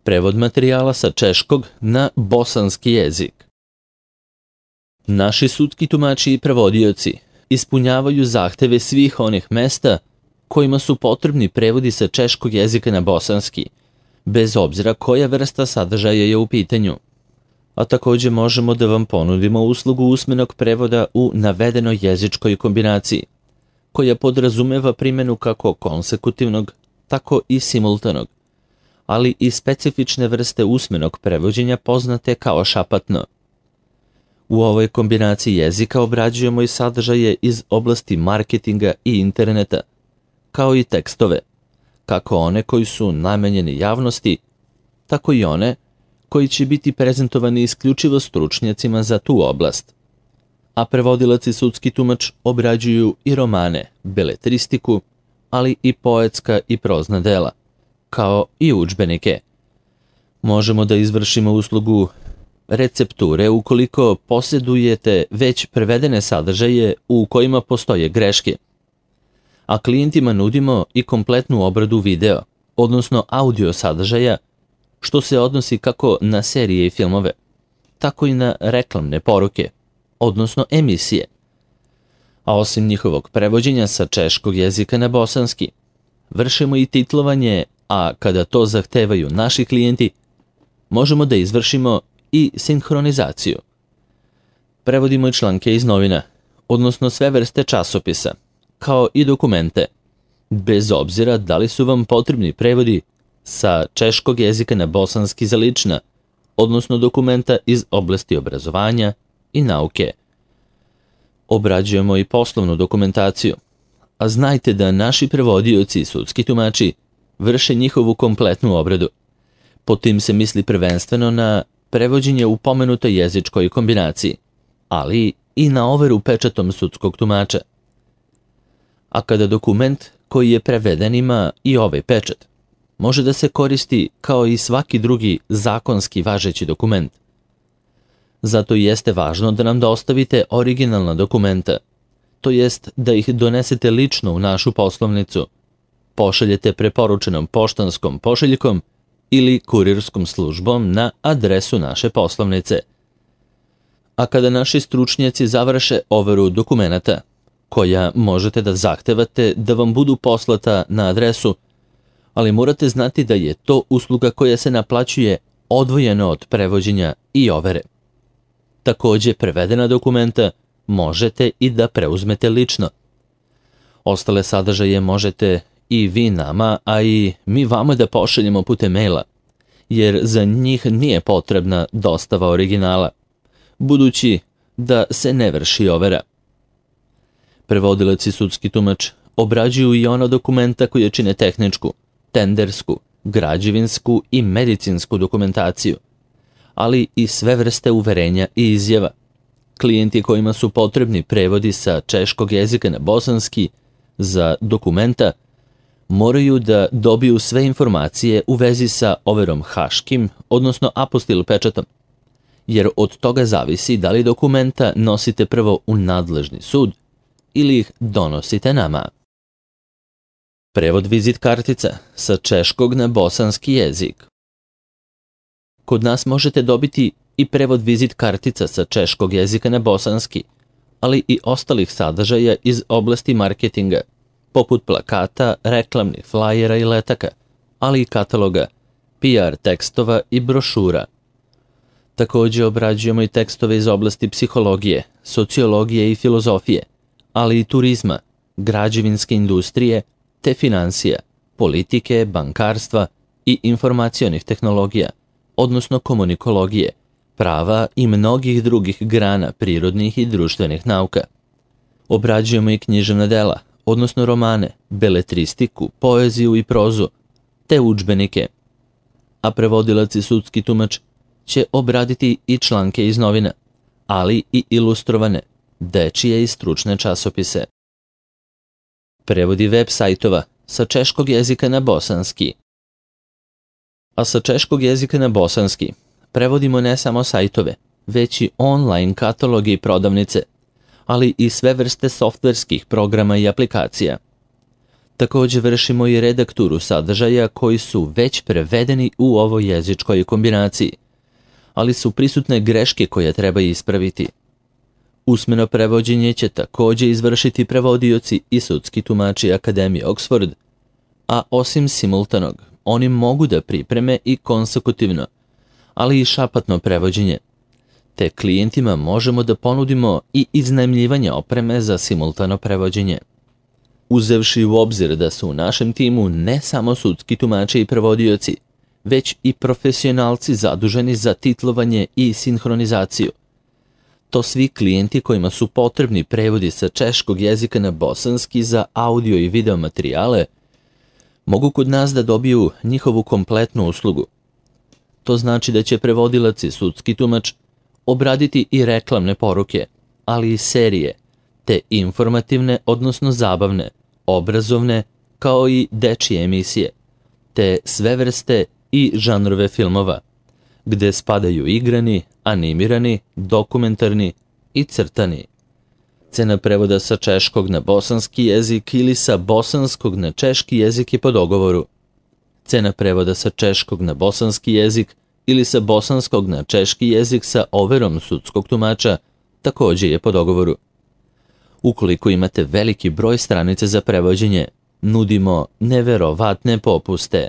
Prevod materijala sa češkog na bosanski jezik. Naši sudski tumači i prevodioci ispunjavaju zahteve svih onih mesta kojima su potrebni prevodi sa češkog jezika na bosanski, bez obzira koja vrsta sadržaja je u pitanju. A također možemo da vam ponudimo uslugu usmenog prevoda u navedenoj jezičkoj kombinaciji, koja podrazumeva primjenu kako konsekutivnog, tako i simultanog, ali i specifične vrste usmenog prevođenja poznate kao šapatno. U ovoj kombinaciji jezika obrađujemo i sadržaje iz oblasti marketinga i interneta, kao i tekstove, kako one koji su namenjeni javnosti, tako i one koji će biti prezentovani isključivo stručnjacima za tu oblast. A prevodilac i sudski tumač obrađuju i romane, beletristiku, ali i poetska i prozna dela, kao i udžbenike. Možemo da izvršimo uslugu recepture ukoliko posjedujete već prevedene sadržaje u kojima postoje greške. A klijentima nudimo i kompletnu obradu video, odnosno audio sadržaja, što se odnosi kako na serije i filmove, tako i na reklamne poruke, odnosno emisije. A osim njihovog prevođenja sa češkog jezika na bosanski, vršimo i titlovanje, a kada to zahtevaju naši klijenti, možemo da izvršimo i sinhronizaciju. Prevodimo i članke iz novina, odnosno sve vrste časopisa, kao i dokumente, bez obzira da li su vam potrebni prevodi sa češkog jezika na bosanski za lična, odnosno dokumenta iz oblasti obrazovanja i nauke. Obrađujemo i poslovnu dokumentaciju, a znajte da naši prevodioci i sudski tumači vrše njihovu kompletnu obradu. Pod tim se misli prvenstveno na prevođenje u pomenutoj jezičkoj kombinaciji, ali i na overu pečatom sudskog tumača. A kada dokument koji je preveden ima i ovaj pečat, može da se koristi kao i svaki drugi zakonski važeći dokument. Zato jeste važno da nam dostavite originalna dokumenta, to jest da ih donesete lično u našu poslovnicu, pošaljete preporučenom poštanskom pošiljkom ili kurirskom službom na adresu naše poslovnice. A kada naši stručnjaci završe overu dokumenata, koja možete da zahtevate da vam budu poslata na adresu, ali morate znati da je to usluga koja se naplaćuje odvojeno od prevođenja i overe. Također prevedena dokumenta možete i da preuzmete lično. Ostale sadržaje možete i vi nama, a i mi vama da pošaljemo putem maila, jer za njih nije potrebna dostava originala, budući da se ne vrši overa. Prevodilac i sudski tumač obrađuju i ona dokumenta koje čine tehničku, tendersku, građevinsku i medicinsku dokumentaciju, ali i sve vrste uverenja i izjava. Klijenti kojima su potrebni prevodi sa češkog jezika na bosanski za dokumenta moraju da dobiju sve informacije u vezi sa overom haškim, odnosno apostil pečatom, jer od toga zavisi da li dokumenta nosite prvo u nadležni sud ili ih donosite nama. Prevod vizit kartica sa češkog na bosanski jezik. Kod nas možete dobiti i prevod vizit kartica sa češkog jezika na bosanski, ali i ostalih sadržaja iz oblasti marketinga, poput plakata, reklamnih flajera i letaka, ali i kataloga, PR tekstova i brošura. Također obrađujemo i tekstove iz oblasti psihologije, sociologije i filozofije, ali i turizma, građevinske industrije, te financija, politike, bankarstva i informacionih tehnologija, odnosno komunikologije, prava i mnogih drugih grana prirodnih i društvenih nauka. Obrađujemo i književna dela, odnosno romane, beletristiku, poeziju i prozu, te udžbenike. A prevodilac i sudski tumač će obraditi i članke iz novina, ali i ilustrovane, dečije i stručne časopise. Prevodi web sajtova sa češkog jezika na bosanski. A sa češkog jezika na bosanski prevodimo ne samo sajtove, već i online kataloge i prodavnice, ali i sve vrste softverskih programa i aplikacija. Također vršimo i redakturu sadržaja koji su već prevedeni u ovoj jezičkoj kombinaciji, ali su prisutne greške koje treba ispraviti. Usmeno prevođenje će također izvršiti prevodioci i sudski tumači Akademije Oxford, a osim simultanog, oni mogu da pripreme i konsekutivno, ali i šapatno prevođenje. Te klijentima možemo da ponudimo i iznajmljivanje opreme za simultano prevođenje. Uzevši u obzir da su u našem timu ne samo sudski tumači i prevodioci, već i profesionalci zaduženi za titlovanje i sinhronizaciju. To svi klijenti kojima su potrebni prevodi sa češkog jezika na bosanski za audio i video materijale, mogu kod nas da dobiju njihovu kompletnu uslugu. To znači da će prevodilac i sudski tumač obraditi i reklamne poruke, ali i serije, te informativne, odnosno zabavne, obrazovne, kao i dečije emisije, te sve vrste i žanrove filmova, gde spadaju igrani, animirani, dokumentarni i crtani. Cena prevoda sa češkog na bosanski jezik ili sa bosanskog na češki jezik je po dogovoru. Cena prevoda sa češkog na bosanski jezik ili sa bosanskog na češki jezik sa overom sudskog tumača također je po dogovoru. Ukoliko imate veliki broj stranica za prevođenje, nudimo neverovatne popuste.